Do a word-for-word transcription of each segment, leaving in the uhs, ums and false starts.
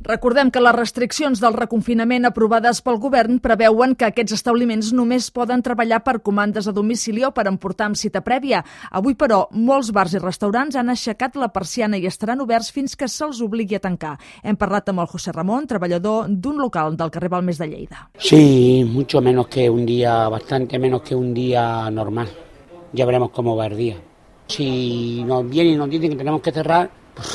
Recordem que les restriccions del reconfinament aprovades pel govern preveuen que aquests establiments només poden treballar per comandes a domicili o per emportar amb cita prèvia. Avui, però, molts bars i restaurants han aixecat la persiana i estaran oberts fins que se'ls obligui a tancar. Hem parlat amb el José Ramón, treballador d'un local del carrer Balmes de Lleida. Sí, mucho menos que un día, bastante menos que un día normal. Ya veremos cómo va el día. Si nos vienen y nos dicen que tenemos que cerrar, pues,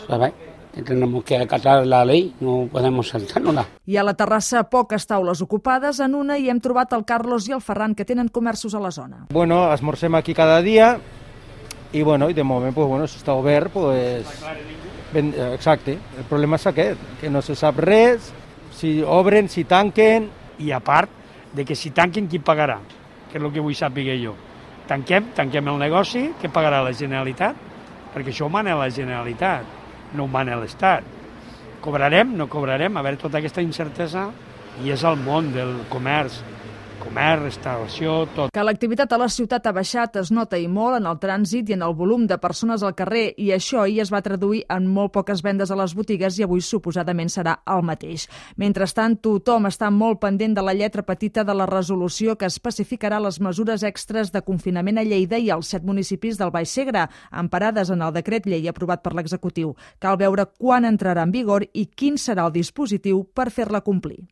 a ver. Tenemos que acatar la ley, no podemos saltárnosla. Hi ha a la terrassa poques taules ocupades. En una hi hem trobat el Carlos i el Ferran, que tenen comerços a la zona. Bueno, esmorzem aquí cada dia i, bueno, i de moment, pues, bueno, si està obert, pues, ben, exacte. El problema és aquest, que no se sap res, si obren, si tanquen. I a part de que si tanquen, qui pagarà? Que és el que vull saber jo. Tanquem, tanquem el negoci, què pagarà la Generalitat? Perquè això ho mana la Generalitat. No ho mana l'Estat. Cobrarem, no cobrarem, a veure tota aquesta incertesa, i és el món del comerç, comerç, restauració, tot. Que l'activitat a la ciutat ha baixat es nota i molt en el trànsit i en el volum de persones al carrer, i això ahir es va traduir en molt poques vendes a les botigues i avui suposadament serà el mateix. Mentrestant, tothom està molt pendent de la lletra petita de la resolució que especificarà les mesures extres de confinament a Lleida i als set municipis del Baix Segre, emparades en el decret llei aprovat per l'executiu. Cal veure quan entrarà en vigor i quin serà el dispositiu per fer-la complir.